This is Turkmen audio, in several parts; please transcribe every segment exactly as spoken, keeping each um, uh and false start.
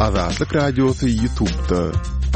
Azatlyk Radiosy YouTube'da.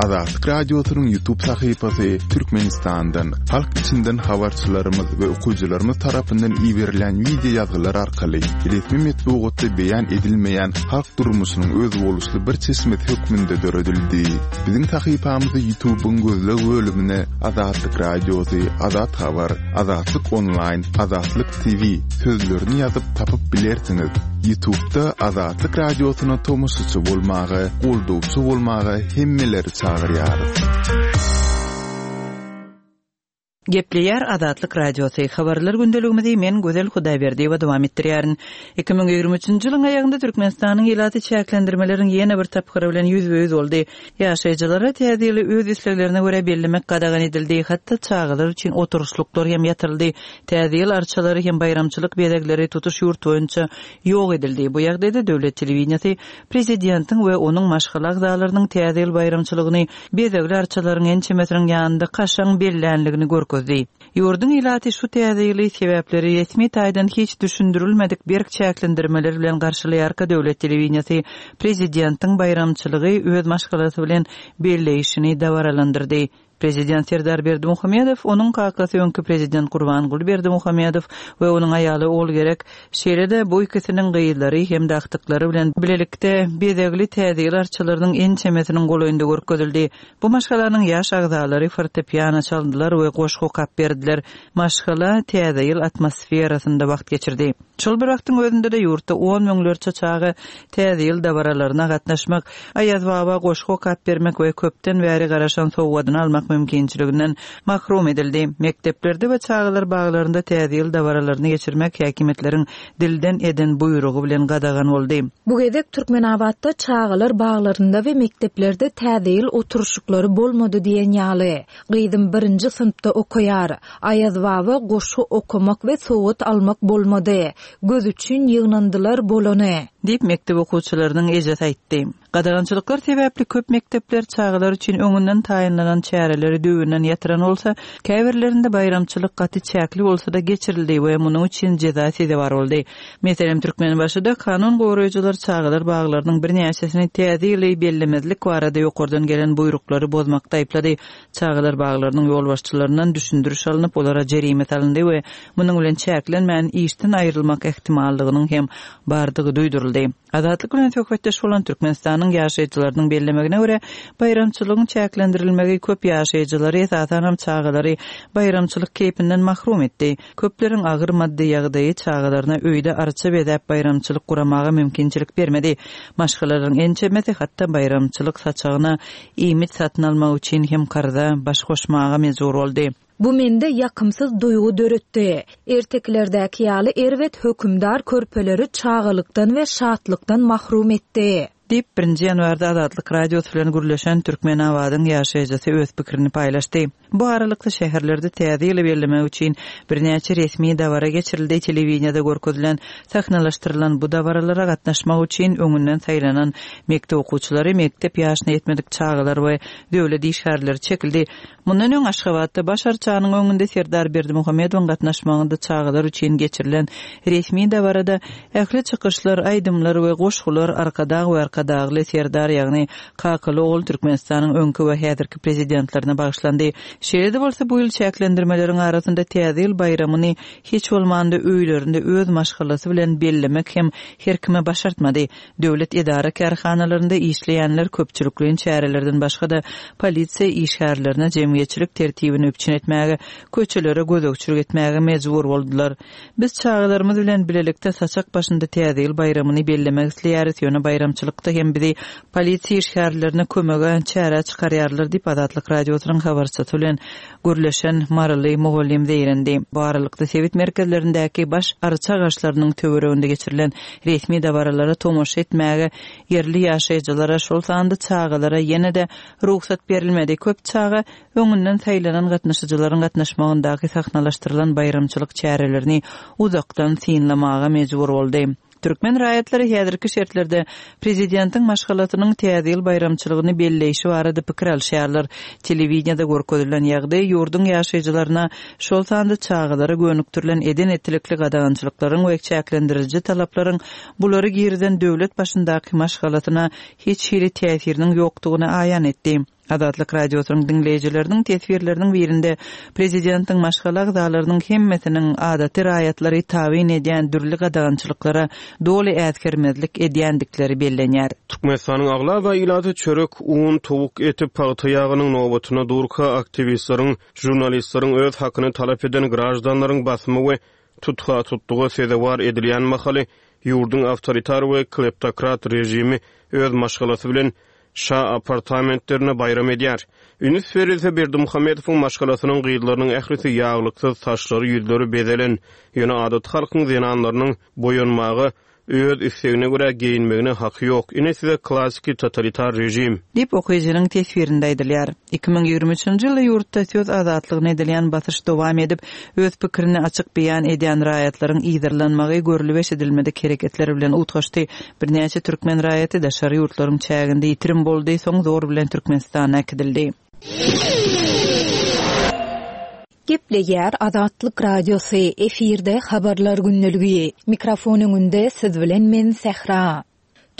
Azatlyk Radiosynyň YouTube sahypasy Türkmenistandan, halk içinden habarçylarymyz we okyjylarymyz tarapyndan iberilen wideo ýazgylar arkaly resmi metbugatda beýan edilmeýän halk durmuşynyň özboluşly bir çeşmesi hökmünde döredildi. Biziň sahypamyzy YouTube'yň gözleg bölümine Azatlyk Radiosy, Azat Habar, Azatlyk Online, Azatlyk T V sözlerini ýazyp tapyp bilersiňiz. YouTube'da Azatlyk Radiosyna tomaşaçy bolmaga, goldawçy bolmaga hemmeleri çagyrýarys. Gepleýär Azatlyk Radiosy. Habarlar gündeligimizi men Gözel Hudaýberdiýewa dowam etdirýärin. iki müň ýigrimi üçünji ýylyň aýagynda Türkmenistanyň ilaty çäklendirmeleriň ýene bir tapgyry bilen ýüzbe-ýüz boldy. Ýaşaýjylara täze ýyly öz isleglerine görä bellemek gadagan edildi. Hatda çagalar üçin oturyşlyklar hem ýatyryldy. Täze ýyl arçalary hem baýramçylyk bezegleri tutuş ýurt boýunça ýok edildi. Bu ýagdaýda döwlet telewideniýesi prezidentiň we onuň maşgala agzalarynyň täze ýyl baýramçylygyny bezegli arçalaryň ençemesiniň ýanynda kaşaň bellänligini görkezdi. Ýurduň ilaty şu täze ýyly sebäpleri resmi taýdan hiç düşündirilmedik berk çäklendirmeler bilen garşylaýarka döwlet telewideniýesi prezidentiň baýramçylygy öz maşgalasy bilen belleýişini dabaralandyrdy. Prezident Serdar Berdimuhamedow, onuň kakasy öňki prezident Gurbanguly Berdimuhamedow we onuň aýaly Ogulgerek, şeýle-de bu ikisiniň gyzlary hem-de agtyklary bilen bilelikde bezegli täze ýyl arçalarynyň ençemesiniň golaýynda görkezildi. Bu maşgalanyň ýaş agzalary fortepiano çaldylar we goşgy okap berdiler. Maşgala täze ýyl atmosferasynda wagt geçirdi. Şol bir wagtyň özünde-de ýurtda on müňlerçe çaga täze ýyl dabaralaryna gatnaşmak, Aýaz baba goşgy okap bermek we köpden bäri garaşan sowgadyny almak mümkinçiliginden mahrum edildi. Mekdeplerde we çagalar baglarynda täze ýyl dabaralaryny geçirmek häkimiýetleriň dilden eden buýrugy bilen gadagan boldy. Bu gezek Türkmenabatda çagalar baglarynda we mekdeplerde täze ýyl oturyşyklary bolmady diýen ýaly. Gyzym birinji synpda okaýar. Aýaz baba goşgy okamak we sowgat almak bolmady. Göz üçin ýygnandylar bolany. Diýip mekdep okuwçylarynyň ejesi aýtdy. Gadagançylyklar sebäpli köp mekdepler çagalar üçin öňünden taýynlanan çäreleri düwünden ýatyran bolsa, käbirlerinde baýramçylyk gaty çäkli bolsa-da geçirildi we munuň üçin jeza sezewar boldy. Meselem, Türkmenbaşyda kanun goraýjylar çagalar baglarynyň birnäçesini täze ýyly bellemezlik barada ýokardan gelen buýruklary bozmakda aýyplady. Çagalar baglarynyň ýolbaşçylaryndan düşündiriş alnyp, olara jerime salyndy we munuň bilen çäklenmän işden aýrylmak ähtimallygynyň hem bardygy duýduryldy. Azatlyk bilen söhbetdeş bolan Türkmenistanyň ýaşaýjylarynyň bellemegine görä, baýramçylygyň çäklendirilmegi köp ýaşaýjylary, esasanam çagalary baýramçylyk keýpinden mahrum etdi. Köpleriň agyr maddy ýagdaýy çagalaryna öýde arça bezäp baýramçylyk guramaga mümkinçilik bermedi. Maşgalalaryň ençemesi hatda baýramçylyk saçagyna iýmit satyn almak üçin hem karza baş goşmaga mejbur boldy. Bu mende ýakymsyz duýgy döretdi. Ertekilerdäki ýaly erbet hökümdar körpeleri çagalykdan we şatlykdan mahrum etdi. Diýip, birinji ýanwarda Azatlyk Radiosy bilen gürleşen Türkmenabadyň ýaşaýjysy öz pikirini paýlaşdy. Bu aralykda şäherlerde täze ýyly bellemek üçin birnäçe resmi dabara geçirildi. Telewideniýede görkezilen, sahnalaşdyrylan bu dabaralara gatnaşmak üçin öňünden saýlanan mekdep okuwçylary, mekdep ýaşyna ýetmedik çagalar we döwlet işgärleri çekildi. Mundan öň Aşgabatda baş arçanyň öňünde Serdar Berdimuhamedowyň gatnaşmagynda çagalar üçin geçirilen resmi dabarada ähli çykyşlar, aýdymlar we goşgular Arkadag we Arkadagly Serdar, ýagny Kakaly ogul Türkmenistanyň öňki we häzirki prezidentlerine bagyşlandy. Şeýle-de bolsa bu ýyl çäklendirmeleriň arasynda täze ýyl baýramyny hiç bolmanda öýlerinde öz maşgalasy bilen bellemek hem her kime başartmady. Döwlet edara kärhanalarynda işleýänler köpçülikleýin çärelerden başga-da polisiýa işgärlerine jemgyýetçilik tertibini üpjün etmäge, köçelere gözegçilik etmäge mejbur boldular. Biz çagalarymyz bilen bilelikde saçak başynda täze ýyl baýramyny bellemek isleýäris, ýöne baýramçylykda hem bizi polisiýa işgärlerine kömege çäre çykarýarlar diýip Azatlyk Radiosynyň habarçysy bilen gürleşen Maryly mugallym zeýrendi. Bu aralykda sebit merkezlerindäki baş arça agaçlarynyň töwereginde geçirilen resmi dabaralara tomaşa etmäge ýerli ýaşaýjylara, şol sanda çagalara ýene-de rugsat berilmedi. Köp çaga öňünden saýlanan gatnaşyjylaryň gatnaşmagyndaky sahnalaşdyrylan baýramçylyk çärelerini uzakdan synlamaga mejbur boldy. Türkmen raýatlary häzirki şertlerde prezidentiň maşgalasynyň Täze ýyl baýramçylygyny belleýşi barada pikir alşýarlar. Telewideniýede görkezilen ýagdaý ýurduň ýaşaýjylaryna, şol sanda çagalara gönükdirilen eden-etdilikli gadagançylyklaryň we çäklendiriji talaplaryň bulary girizen döwlet başyndaky maşgalasyna hiç hili täsiriniň ýokdugyny aýan etdi. Azatlyk Radiosynyň diňleýjileriniň teswirleriniň birinde prezidentiň maşgala agzalarynyň hemmesiniň adaty raýatlary tabyn edýän dürli gadagançylyklara doly äsgermezlik edýändikleri bellenýär. Türkmenistanyň aglaba ilaty çörek, un, towuk eti, pagta ýagynyň nobatyna durka aktiwistleriň, žurnalistleriň öz hakyny talap eden graždanlaryň basymy we tutha-tutluga sezewar edilýän mahaly ýurduň awtoritar we kleptokrat režimi öz maşgalasy bilen şa apartamentlerine baýram edýär. Üns berilse Berdimuhamedowyň maşgalasynyň gyzlarynyň ählisi ýaglyksyz, saçlary, ýüzleri bezelen, ýöne adaty halkyň zenanlarynyň boýanmaga, öz islegine görä geýinmegine haky ýok. Ine size klassiki totalitar režim. Diýip okyjynyň teswirinde aýdylýar. Iki müň ýigrimi üçünji ýylda ýurtda söz azatlygyna edilýän basyş dowam edip, öz pikirini açyk beýan edýän raýatlaryň yzarlanmagy görlüp eşidilmedik hereketler bilen utgaşdy. Birnäçe türkmen raýaty daşary ýurtlaryň çäginde ýitirim boldy, soň zor bilen Türkmenistana äkidildi. Gepleýär Azatlyk Radiosy, efirde habarlar gündeligi. Mikrofon öňünde siz bilen men Sähra.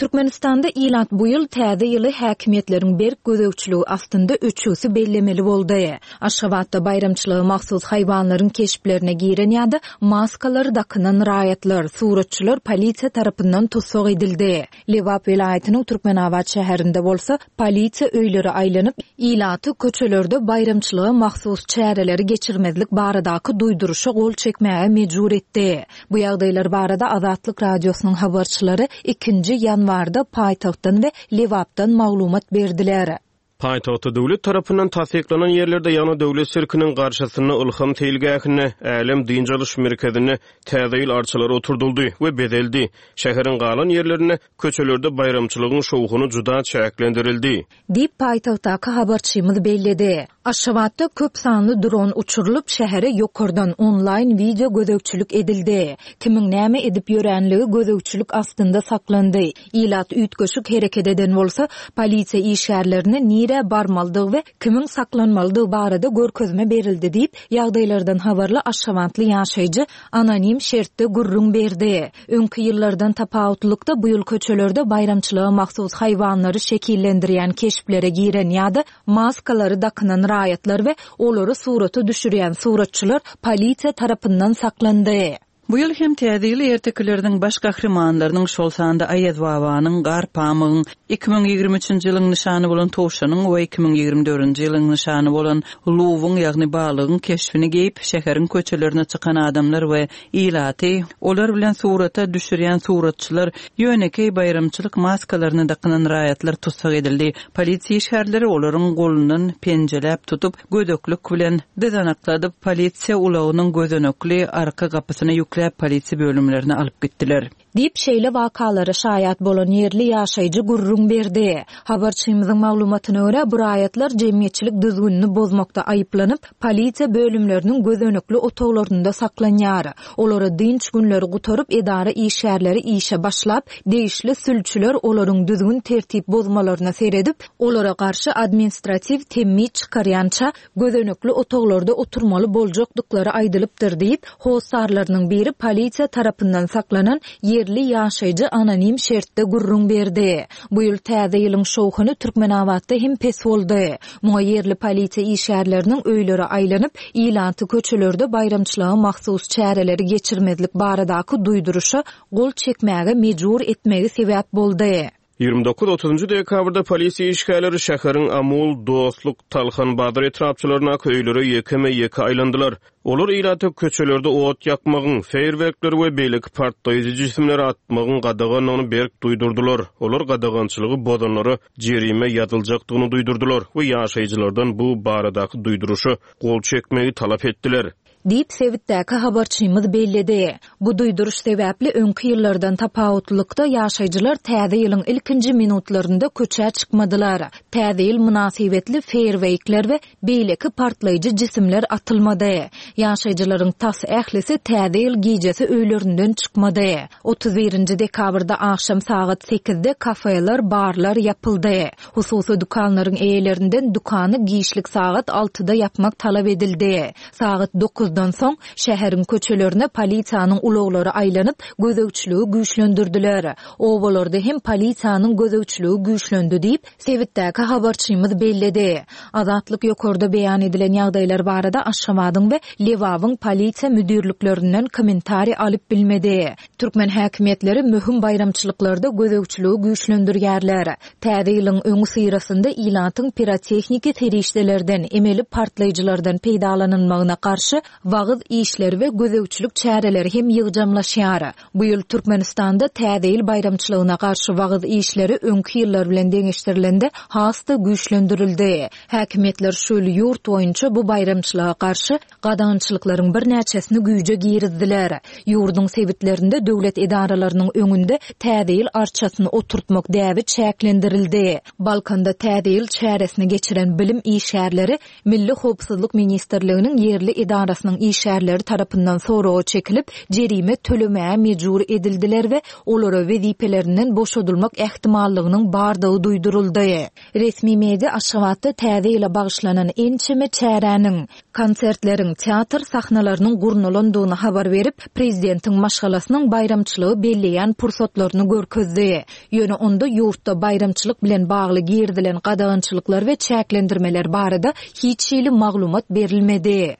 Türkmenistanda ilat bu ýyl täze ýyly häkimiýetleriň berk gözegçiligi astynda öçügsi bellemeli boldy. Aşgabatda baýramçylyga mahsus haýwanlaryň keşplerine giren ýa-da maskalary dakynan raýatlar, suratçylar polisiýa tarapyndan tussag edildi. Lebap welaýatynyň Türkmenabat şäherinde bolsa polisiýa öýlere aýlanyp, ilaty köçelerde baýramçylyga mahsus çäreleri geçirmezlik baradaky duýduryşa gol çekmäge mejbur etdi. Bu ýagdaýlar barada Azatlyk Radiosynyň habarçylary ikinji ýanwarda paýtagtdan we Lebapdan maglumat berdiler. Paýtagtda döwlet tarapyndan tassyklanan ýerlerde, ýagny döwlet sirkiniň garşysynda Ylham seýilgähinde, Älem dynç alyş merkezinde Täze ýyl arçalary oturdyldy we bezeldi. Şäheriň galan ýerlerinde köçelerde baýramçylygyň şowhuny juda çäklendirildi. Diýip, paýtagtdaky habarçymyz belledi. Aşgabatda köp sanly dron uçurylyp, şähere ýokardan onlaýn wideo gözegçilik edildi. Kimiň näme edip ýöränligi gözegçilik astynda saklandy. Ilat üýtgeşik hereket eden bolsa, polisiýa işgärlerine nirä barmalydygy we kimiň saklanmalydygy barada görkezme berildi diýip, ýagdaýlardan habarly aşgabatly ýaşaýjy anonim şertde gürrüň berdi. Öňki ýyllardan tapawutlylykda bu ýyl köçelerde baýramçylyga mahsus haýwanlary şekillendirýän keşplere giren ýa-da maskalary dakynan raýatlar we olary surata düşürýän suratçylar polisiýa tarapyndan saklandy. Bu ýyl hem Täze ýyl ertekileriniň baş gahrymanlarynyň, şol sanda Aýaz babanyň, Garpamygyň, iki müň ýigrimi üçünji ýylyň nyşany bolan towşanyň we iki müň ýigrimi dördünji ýylyň nyşany bolan luwyň, ýagny balygyň keşbini geýip, şäheriň köçelerine çykan adamlar we ilaty, olar bilen surata düşürýän suratçylar, ýönekeý baýramçylyk maskalaryny dakynan raýatlar tussag edildi. Polisiýa işgärleri olaryň golundan penjeläp tutup, gödeklik bilen dyzanakladyp, polisiýa ulagynyň gözenekli arka gapysyna ýükläp polisiýa bölümlerine alyp gitdiler. Diýip, şeýle wakalara şaýat bolan ýerli ýaşaýjy gürrüň berdi. Habarçymyzyň maglumatyna görä, bu raýatlar jemgyýetçilik düzgünini bozmakda aýyplanyp, polisiýa bölümleriniň gözenekli otaglarynda saklanýar. Olara dynç günleri gutaryp, edara işgärleri işe başlap, degişli sülçüler olaryň düzgün tertip bozmalaryna seredip, olara garşy administratiw temmi çykarýança gözenekli otaglarda oturmaly boljakdyklary aýdylypdyr diýip, hossarlarynyň biri polisiýa tarapyndan saklanan ýerli ýaşaýjy anonim şertde gürrüň berdi. Bu ýyl Täze ýylyň şowhuny Türkmenabatda hem pes boldy. Muňa ýerli polisiýa işgärleriniň öýlere aýlanyp, ilaty köçelerde baýramçylyga mahsus çäreleri geçirmezlik baradaky duýduryşa gol çekmäge mejbur etmegi sebäp boldy. Ýigrimi dokuz otuzynjy dekabrda polisiýa işgärleri şäheriň Amul, Dostluk, Talhan bazar etrapçalaryndaky öýlere ýekeme-ýeke aýlandylar. Olar ilata köçelerde ot ýakmagyň, feýerwerkleri we beýleki partlaýjy jisimleri atmagyň gadagandygyny berk duýdurdylar. Olar gadagançylygy bozanlara jerime ýazyljakdygyny duýdurdylar we ýaşaýjylardan bu baradaky duýduryşa gol çekmegi talap etdiler. Diýip, sebitdäki habarçymyz belledi. Bu duýduryş sebäpli öňki ýyllardan tapawutlylykda ýaşaýjylar Täze ýylyň ilkinji minutlarynda köçä çykmadylar. Täze ýyl mynasybetli feýerweýkler we beýleki partlaýjy jisimler atylmady. Ýaşaýjylaryň tas ählisi Täze ýyl gijesi öýlerinden çykmady. Otuz birinji dekabrda agşam sagat sekizde kafeler, barlar ýapyldy. Hususy dükanlaryň eýelerinden dükany giçlik sagat altyda ýapmak talap edildi. Sagat dokuzdan soň şäheriň köçelerine polisiýanyň ulaglary aýlanyp, gözegçiligi güýçlendirdiler. Obalarda hem polisiýanyň gözegçiligi güýçlendi diýip, sebitdäki habarçymyz belledi. Azatlyk ýokarda beýan edilen ýagdaýlar barada Aşgabadyň we Lebabyň polisiýa müdirliklerinden kommentariý alyp bilmedi. Türkmen häkimiýetleri möhüm baýramçylyklarda gözegçiligi güýçlendirýärler. Täze ýylyň öňüsyrasynda ilatyň pirotehniki serişdelerden, emeli partlaýjylardan peýdalanylmagyna garşy wagyz işleri we gözegçilik çäreleri hem ýygjamlaşýar. Bu ýyl Türkmenistanda Täze ýyl baýramçylygyna garşy wagyz işleri öňki ýyllar bilen deňeşdirilende has-da güýçlendirildi. Häkimiýetler şu ýyl ýurt boýunça bu baýramçylyga garşy gadagançylyklaryň birnäçesini güýje girizdiler. Ýurduň sebitlerinde döwlet edaralarynyň öňünde Täze ýyl arçasyny oturtmak däbi çäklendirildi. Balkanda Täze ýyl çäresini geçiren bilim işgärleri Milli howpsuzlyk ministrliginiň ýerli edarasynyň işgärleri tarapyndan soraga çekilip, jerime tölemäge mejbur edildiler we olara wezipelerinden boşadylmak ähtimallygynyň bardygy duýduryldy. Resmi media Aşgabatda Täze ýyla bagyşlanan ençeme çäräniň, konsertleriň, teatr sahnalarynyň gurnalandygyny habar berip, prezidentiň maşgalasynyň baýramçylygy belleýän pursatlaryny görkezdi. Ýöne onda ýurtda baýramçylyk bilen bagly girizilen gadagançylyklar we çäklendirmeler barada hiç hili maglumat berilmedi.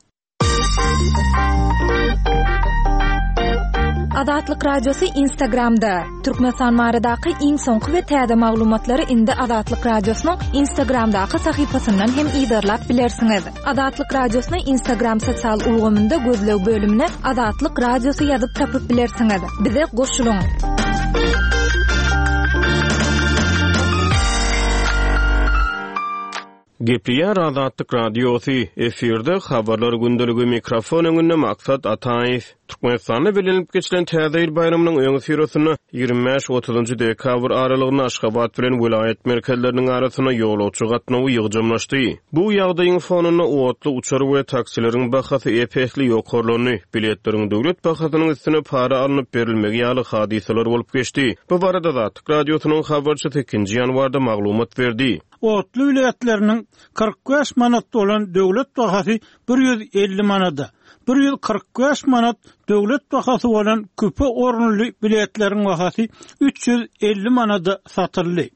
Azatlyk Radiosy Instagramda. Türkmenistan baradaky iň soňky we täze maglumatlary indi Azatlyk Radiosynyň Instagramdaky sahypasyndan hem yzarlap bilersiňiz. Azatlyk Radiosyny Instagram sosial ulgamynda gözleg bölümine Azatlyk Radiosy ýazyp tapyp bilersiňiz. Bize goşulyň! Gepleýär Azatlyk Radiosy, efirde Habarlar gündeligi, mikrofon öňünde Maksat Ataýew. Türkmenistanda bellenilip geçilen Täze ýyl baýramynyň öňüsyrasynda ýigrimi bäş otuzynjy dekabr aralygynda Aşgabat bilen welaýat merkezleriniň arasynda ýolagçy gatnawy ýygjamlaşdy. Bu ýagdaýyň fonunda otly, uçar we taksileriň bahasy ep-esli ýokarlandy. Biletleriň döwlet bahasynyň üstüne para alnyp berilmegi ýaly hadysalar bolup geçdi. Bu barada Azatlyk Radiosynyň habarçysy ikinji ýanwarda maglumat berdi. Otly biletleriniň kyrk bäş manat bolan döwlet bahasy bir ýüz elli manada, bir ýüz kyrk bäş manat döwlet bahasy bolan küpe orunly biletleriň bahasy üç ýüz elli manada satyldy.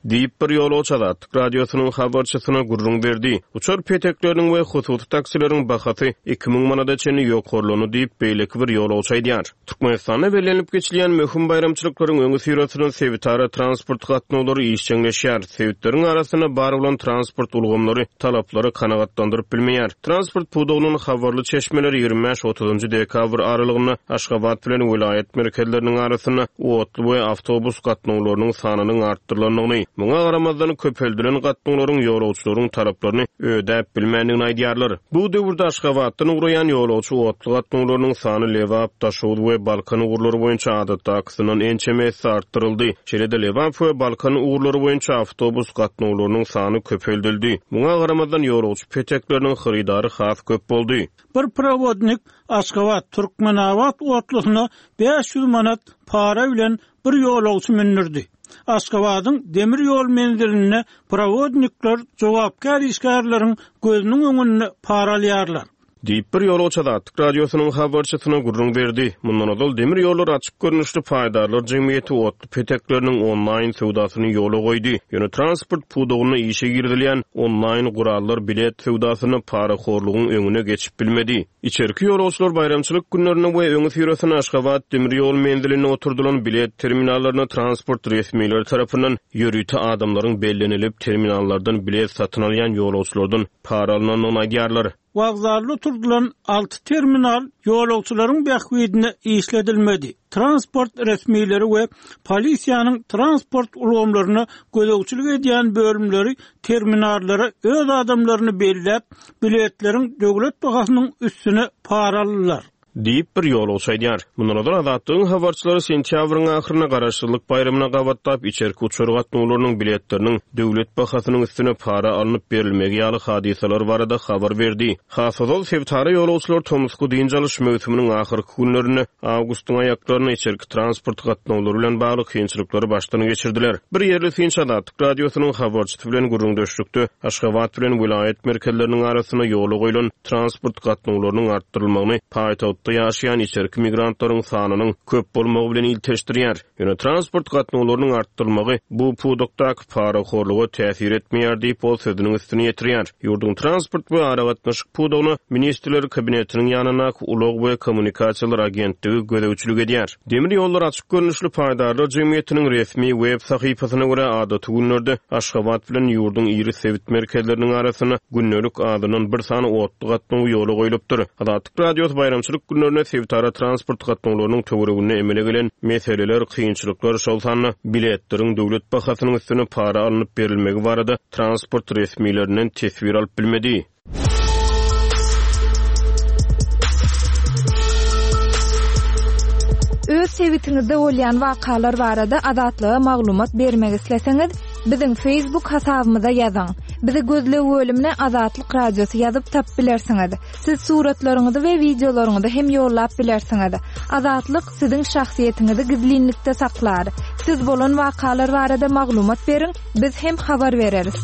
Diýip, bir ýolagçy Azatlyk Radiosynyň habarçysyna gürrüň berdi. Uçar petekleriniň we hususy taksileriň bahasy iki müň manada çenli ýokarlandy diýip, beýleki bir ýolagçy aýdýar. Türkmenistanda bellenilip geçilýän möhüm baýramçylyklaryň öňüsyrasynda sebitara transport gatnawlary işjeňleşýär. Sebitleriň arasynda bar bolan transport ulgamlary talaplary kanagatlandyryp bilmeýär. Transport pudagynyň habarly çeşmeleri ýigrimi bäş otuzynjy dekabr aralygynda Aşgabat bilen welaýat merkezleriniň arasynda otly we awtobus gatnawlarynyň sanynyň artdyrylandygyny, muňa garamazdan köpeldilen gatnawlaryň ýolagçylaryň talaplaryny ödäp bilmändigini aýdýarlar. Bu döwürde Aşgabatdan ugraýan ýolagçy otly gatnawlarynyň sany Lebap, Daşoguz we Balkan ugurlary boýunça adatdakysyndan ençeme esse artdyryldy. Şeýle-de Lebap we Balkan ugurlary boýunça awtobus gatnawlarynyň sany köpeldildi. Muňa garamazdan ýolagçy petekleriniň hyrydary has köp boldy. Bir prowodnik Aşgabat, Türkmenabat otlusyna bäş ýüz manat para bilen bir ýolagçy mündürdi. Aşgabadyň demir ýol menzilinde prowodnikler jogapkär işgärleriň gözüniň öňünde para alýarlar. Diýip, bir ýolagçy Azatlyk Radiosynyň habarçysyna gürrüň berdi. Mundan ozal demir ýollar açyk görnüşli paýdarlar jemgyýeti otly petekleriniň onlaýn söwdasyny ýola goýdy. Ýöne transport pudagynda işe girizilýän onlaýn gurallar bilet söwdasynda parahorlugyň öňüne geçip bilmedi. Içerki ýolagçylar baýramçylyk günlerinde we öňüsyrasynda Aşgabat demir ýol menzilinde oturdylan bilet terminallaryna transport resmileri tarapyndan ýörite adamlaryň bellenilip terminallardan bilet satyn alýan ýolagçylardan para alynandygyny aýdýarlar. wokzalda oturdylan alty terminal ýolagçylaryň bähbidine işledilmedi. Transport resmileri we polisiýanyň transport ulgamlaryna gözegçilik edýän bölümleri terminallara öz adamlaryny belläp, biletleriň döwlet bahasynyň üstüne para aldylar. Diýip bir ýolagçy aýdýar. Mundan ozal Azatlygyň habarçylary sentýabryň ahyrynda Garaşsyzlyk baýramyna gabatlap içerki uçar gatnawlarynyň biletleriniň döwlet bahasynyň üstüne para alnyp berilmegi ýaly hadysalar barada habar berdi. Has ozal sebitara ýolagçylar tomusky dynç alyş möwsüminiň ahyrky günlerinde awgustyň aýaklaryny içerki transport gatnawlary bilen bagly kynçylyklary başdan geçirdiler. Bir ýerli synçy Azatlyk radiosynyň habarçysy bilen gürrüňdeşlikde Aşgabat bilen welaýat merkezleriniň arasynda ýola goýlan transport gatnawlarynyň artdyrylmagyny paýtagtda ýaşaýan içerki migrantlaryň sanynyň köp bolmagy bilen ilteşdirýär. Ýöne transport gatnawlarynyň artdyrylmagy bu pudakdaky parahorluga täsir etmeýär diýip ol sözüniň üstüne ýetirýär. Ýurduň transport we aragatnaşyk pudagyna Ministrler Kabinetiniň ýanyndaky Ulag we kommunikasiýalar agentligi gözegçilik edýär. Demir ýollar açyk görnüşli paýdarlar jemgyýetiniň resmi web sahypasyna görä adaty günlerde Aşgabat bilen ýurduň iri sebit merkezleriniň arasynda gündelik azyndan bir sany otly gatnaw ýola goýlupdyr. Azatlyk radiosy baýramçylyk günlerinde sebitara transport gatnawlarynyň töwereginde emele gelen meseleler, kynçylyklar, şol sanda biletleriň döwlet bahasynyň üstüne para alnyp berilmegi barada transport resmilerinden teswir alyp bilmedi. Öz sebitiňizde bolýan wakalar barada Azatlyga maglumat bermek isleseňiz, biziň Facebook hasabymyza ýazyň. Bizi gözleg bölümine Azatlyk radiosy ýazyp tap bilersiňiz. Siz suratlaryňyzy we wideolaryňyzy hem ýollap bilersiňiz. Azatlyk siziň şahsyýetiňizi gizlinlikde saklar. Siz bolan wakalar barada maglumat beriň, biz hem habar bereris.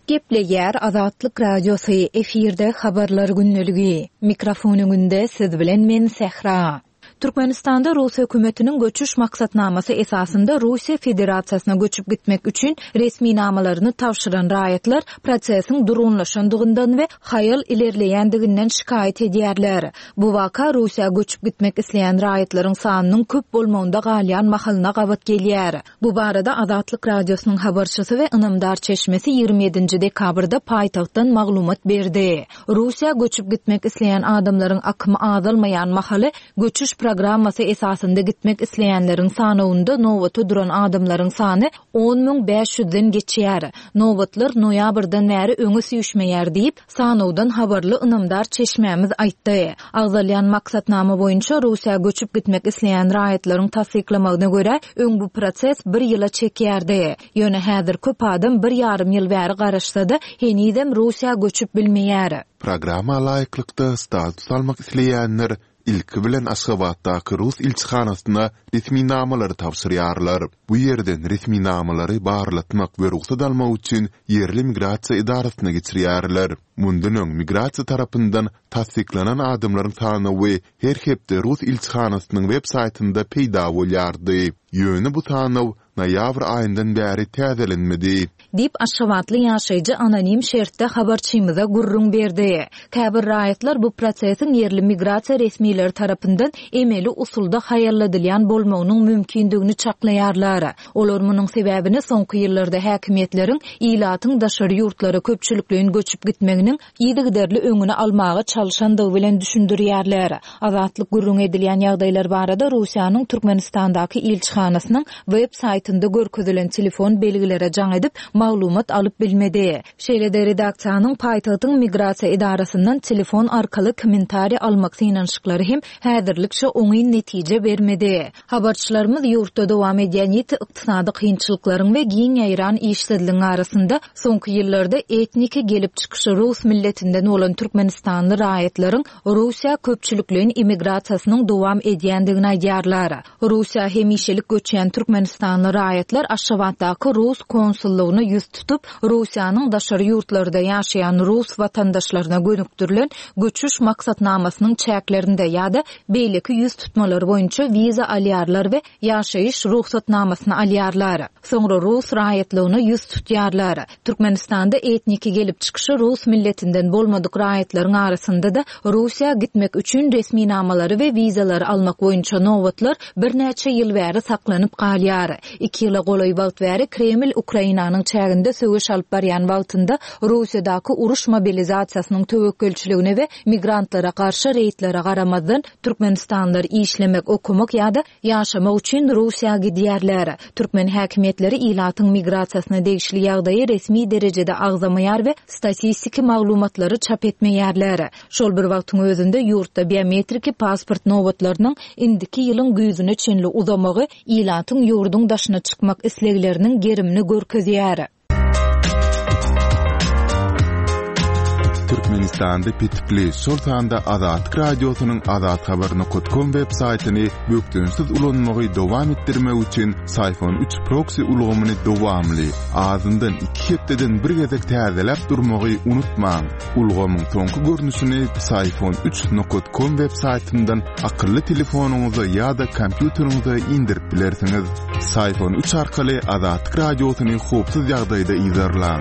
Gepleýär Azatlyk radiosy efirde habarlar gündeligi. Mikrofon öňünde siz bilen men Sehra. Türkmenistanda Rus hökümetiniň göçüş maksatnamasy esasynda Russiýa Federasiýasyna göçüp gitmek üçin resminamalaryny tabşyran raýatlar prosesiň durgunlaşandygyndan we haýal ilerleýändiginden şikaýat edýärler. Bu waka Russiýa göçüp gitmek isleýän raýatlaryň sanynyň köp bolmagynda galýan mahalyna gabat gelýär. Bu barada Azatlyk radiosynyň habarçysy we ynamdar çeşmesi ýigrimi ýedinji dekabrda paýtagtdan maglumat berdi. Russiýa göçüp gitmek isleýän adamlaryň akymy azalmaýan mahaly göçüş programmasy esasynda gitmek isleýänleriň sanawynda nobata duran adamlaryň sany on müň bäş ýüzden geçýär. Nobatlar noýabrdan bäri öňe süýşmeýär diýip, sanawdan habarly ynamdar çeşmämiz aýtdy. Agzalýan maksatnama boýunça Russiýa göçüp gitmek isleýän raýatlaryň tassyklamagyna görä, öň bu proses bir ýyla çekýärdi. Ýöne häzir köp adam bir ýarym ýyl bäri garaşsa-da, henizem Russiýa göçüp bilmeýär. Programma laýyklykda status almak isleýänler ilki bilen Aşgabatdaky Rus ilçihanasyna resminamalary tabşyrýarlar. Bu ýerden resminamalary barlatmak we rugsat almak üçin ýerli migrasiýa edarasyna geçirýärler. Mundan öň migrasiýa tarapyndan tassyklanan adamlaryň sanawy her hepde Rus ilçihanasynyň web saýtynda peýda bolýardy. Ýöne bu sanaw noýabr aýyndan bäri täzelenmedi. Diýip Aşgabatly ýaşaýjy anonim şertde habarçymyza gürrüň berdi. Käbir raýatlar bu prosesiň ýerli migrasiýa resmileri tarapyndan emeli usulda haýalladylýan bolmagynyň mümkindigini çaklaýarlar. Olar munuň sebäbini soňky ýyllarda häkimiýetleriň ilatyň daşary ýurtlara köpçülikleýin göçüp gitmeginiň yzygiderli öňüni almaga çalyşandygy bilen düşündirýärler. Azatlyk gürrüň edilýän ýagdaýlar barada Russiýanyň Türkmenistandaky ilçihanasynyň web saýtynda görkezilen telefon belgilere jaň edip maglumat alyp bilmedi. Şeýle-de redaksiýanyň paýtagtyň migrasiýa edarasyndan telefon arkaly kommentariý almak synanyşyklary hem häzirlikçe oňyn netije bermedi. Habarçylarymyz ýurtda dowam edýän ýiti ykdysady kynçylyklaryň we giň ýaýran işsizligiň arasynda soňky ýyllarda etniki gelip çykyşy Rus milletinden bolan Türkmenistanly raýatlaryň Russiýa köpçülikleýin immigrasiýasynyň dowam edýändigini aýdýarlar. Russiýa hemişelik göçýän Türkmenistanly raýatlar Aşgabatdaky Rus konsullygyna ýüz tutup, Russiýanyň daşary ýurtlarda ýaşaýan Rus watandaşlaryna gönükdirilen göçüş maksatnamasynyň çäklerinde ýa-da beýleki ýüz tutmalar boýunça wiza alýarlar we ýaşaýyş rugsatnamasyny alýarlar. Soňra Rus raýatlygyna ýüz tutýarlar. Türkmenistanda etniki gelip çykyşy Rus milletinden bolmadyk raýatlaryň arasynda da Russiýa gitmek üçin resminamalary we wizalary almak boýunça nobatlar birnäçe ýyl bäri saklanyp galýar. Iki ýyla golaý wagt bäri Kreml Ukrainanyň çäginde söweş alyp barýan wagtynda Russiýadaky uruş mobilizasiýasynyň töwekgelçiligine we migrantlara garşy reýdlere garamazdan Türkmenistanlylar işlemek, okumak ýa-da ýaşamak üçin Russiýa gidýärler. Türkmen häkimiýetleri ilatyň migrasiýasyna degişli ýagdaýy resmi derejede agzamaýar we statistiki maglumatlary çap etmeýärler. Şol bir wagtyň özünde ýurtda biometriki pasport nobatlarynyň indiki ýylyň güýzüne çenli uzamagy ilatyň ýurduň daşyna çykmak islegleriniň gerimini görkezýär. Türkmenistanda petikli, şol sanda Azatlyk Radiosynyň azathabar nokat kom web saýtyny bökdençsiz ulanmagy dowam etdirmek üçin Syfon üç proksi ulgamyny dowamly, azyndan iki hepdeden bir gezek täzeläp durmagy unutmaň. Ulgamyň soňky görnüşini Syfon üç nokat kom web saýtyndan akylly telefonyňyza ýa-da kompýuteriňize indirip bilersiňiz. Syfon üç arkaly Azatlyk Radiosyny howpsuz ýagdaýda yzarlaň.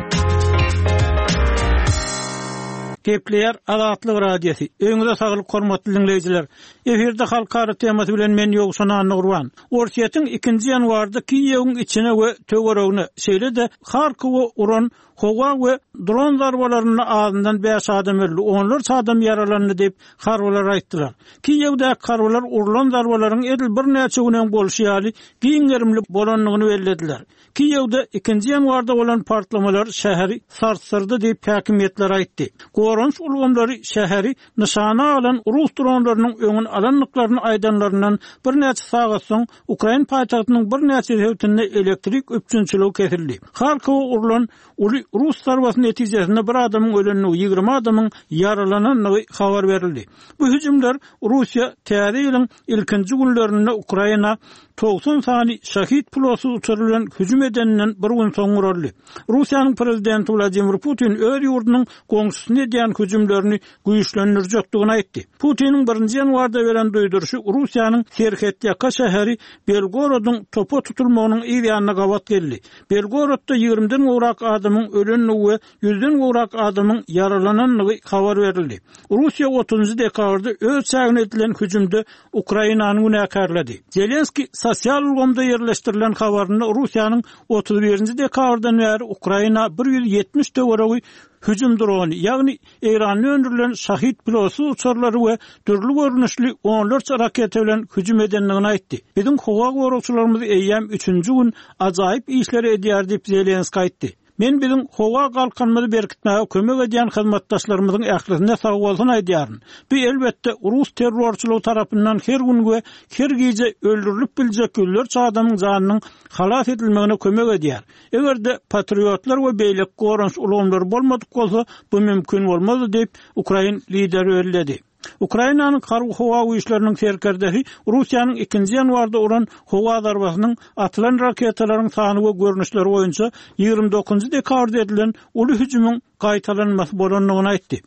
Gepleýär Azatlyk Radiosy. Öňüňize saglyk hormatly diňleýjiler. Efirde halkara temasy bilen men Ýowşan Annagurban. Orsýetiň ikinji ýanwarda Kiýewiň içine we töweregine, şeýle-de Harkowa uran howa we dron zarbalarynda azyndan bäş adam öldi, onlarça adam ýaralandy diýip, harbylar aýtdylar. Kiýewdäki harbylar urlan zarbalaryň edil birnäçe gün öň bolşy ýaly giň gerimli bolandygyny bellediler. Kiýewde ikinji ýanwarda bolan partlamalar şäheri sarsdyrdy diýip, häkimiýetler aýtdy. Goranyş ulgamlary şäheri nyşana alan rus dronlarynyň öňüni alandyklaryny aýdanlaryndan birnäçe sagat soň Ukrain paýtagtynyň birnäçe sebitinde elektrik üpjünçiligi kesildi. Harkowa urlan uly rus zarbasy netijesinde bir adamyň ölendigi, ýigrimi adamyň ýaralanandygy habar berildi. Bu hüjümler Russiýa täze ýylyň ilkinji günlerinde Ukraina togsan sany şahid pilotsyz uçary bilen hüjüm edeninden bir gün soň guraldy. Russiýanyň prezidenti Wladimir Putin öz ýurdunyň goňşusyna edýän hüjümlerini güýçlendirjekdigini aýtdy. Putiniň birinji ýanwarda beren duýduryşy Russiýanyň serhetýaka şäheri Belgorodyň topa tutulmagynyň yz ýanyna gabat geldi. Belgorodda ýigrimiden gowrak adamyň ölendigi we ýüzden gowrak adamyň ýaralanandygy habar berildi. Russiýa otuzynjy dekabrda öz çägine edilen hüjümde Ukrainany günäkärledi. Zelenskiý sosial ulgamda ýerleşdirilen habarynda Russiýanyň otuz birinji dekabrdan bäri Ukraina bir ýüz ýetmiş töweregi hüjüm drony, ýagny Eýranda öndürilen Şahid pilotsyz uçarlary we dürli görnüşli onlarça raketa bilen hüjüm edendigini aýtdy. Biziň howa goragçylarymyz eýýäm üçünji gün ajaýyp işleri edýär diýip, Zelenskiý aýtdy. Men biziň howa galkanymyzy berkitmäge kömek edýän hyzmatdaşlarymyzyň ählisine sagbolsun aýdýaryn. Bu, elbetde, rus terrorçylygy tarapyndan her gün we her gije öldürilip biljek ýüzlerçe adamyň janynyň halas edilmegine kömek edýär. Eger-de patriotlar we beýleki goranyş ulgamlary bolmadyk bolsa, bu mümkin bolmazdy diýip, ukrain lideri belledi. Ukrainanyň harby-howa güýçleriniň serkerdesi Russiýanyň ikinji ýanwarda uran howa zarbasynyň atylan raketalaryň sany we görnüşleri boýunça ýigrimi dokuzynjy dekabrda edilen uly hüjümiň gaýtalanmasy bolandygyny aýtdy.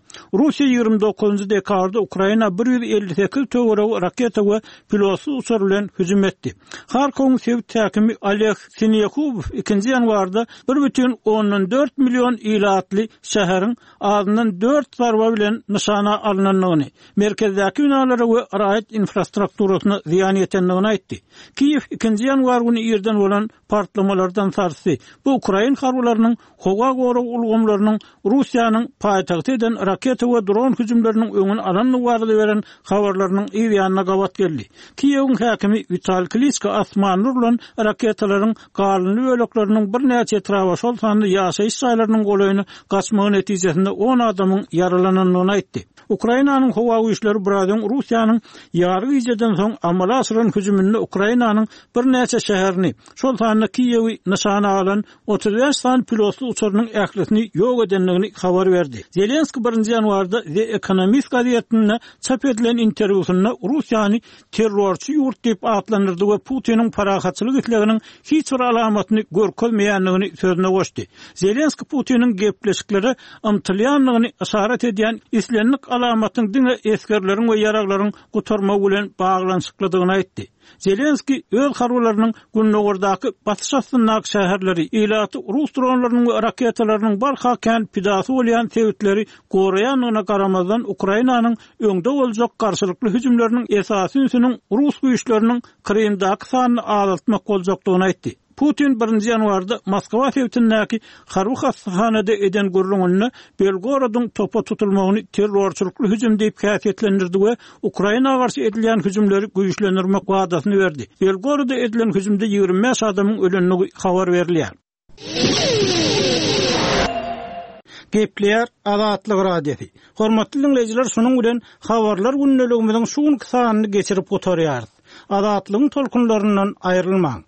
Russiýa ýigrimi dokuzynjy dekabrda Ukraina bir ýüz elli sekiz töweregi raketa we pilotsyz uçar bilen hüjüm etdi. Harkowyň sebit häkimi Oleg Sinehubow ikinji ýanwarda bir bütin ondan dört million ilatly şäheriň azyndan dört zarba bilen nyşana alnandygyny, merkezdäki binalara we raýat infrastrukturasyna zyýan ýetendigini aýtdy. Kiýew ikinji ýanwar güni irden bolan partlamalardan sarsdy. Bu ukrain harbylarynyň howa gorag ulgamlarynyň Russiýanyň paýtagta eden raketa we dron hüjümleriniň öňüni alandygy barada beren habarlarynyň yz ýanyna gabat geldi. Kiýewiň häkimi Witaliý Kliçko asmanda urlan raketalaryň galyndy bölekleriniň birnäçe etraba, şol sanda ýaşaýyş jaýlarynyň golaýyna gaçmagy netijesinde on adamyň ýaralanandygyny aýtdy. Ukrainanyň howa güýçleri biraz öň Russiýanyň ýary gijeden soň amala aşyran hüjüminde Ukrainanyň birnäçe şäherini, şol sanda Kiýewi nyşana alan otuz bäş sany pilotsyz uçarynyň ählisini ýok edendigini habar berdi. Zelenskiý birinji ýanwarda The Economist gazetinde çap edilen interwýusynda Russiýany terrorçy ýurt diýip atlandyrdy we Putiniň parahatçylyk isleginiň hiç bir alamatyny görkezmeýändigini sözüne goşdy. Zelenskiý Putiniň gepleşiklere ymtylýandygyny yşarat edýän islendik alamatyň diňe esgerleriň we ýaraglaryň gutarmagy bilen baglanyşyklydygyny aýtdy. Zelenskiý öz harbylarynyň gündogardaky basyş astyndaky şäherleri, ilaty rus dronlarynyň we raketalarynyň barha kän pidasy bolýan sebitleri goraýandygyna garamazdan, Ukrainanyň öňde boljak garşylykly hüjümleriniň esasy ünsüniň rus güýçleriniň Krymdaky sanyny azaltmak boljakdygyny aýtdy. Putin birinji ýanwarda Moskwa sebitindäki harby hassahanada eden gürrüňinde Belgorodyň topa tutulmagyny terrorçylykly hüjüm diýip häsiýetlendirdi we Ukraina garşy edilýän hüjümleri güýçlendirmek wadasyny berdi. Belgoroda edilen hüjümde ýigrimi bäş adamyň ölendigi habar berilýär. Gepleýär Azatlyk Radiosy. Hormatly diňleýjiler, şunuň bilen habarlar gündeligimiziň şu günki sanyny geçirip gutarýarys. Azatlygyň tolkunlaryndan aýrylmaň.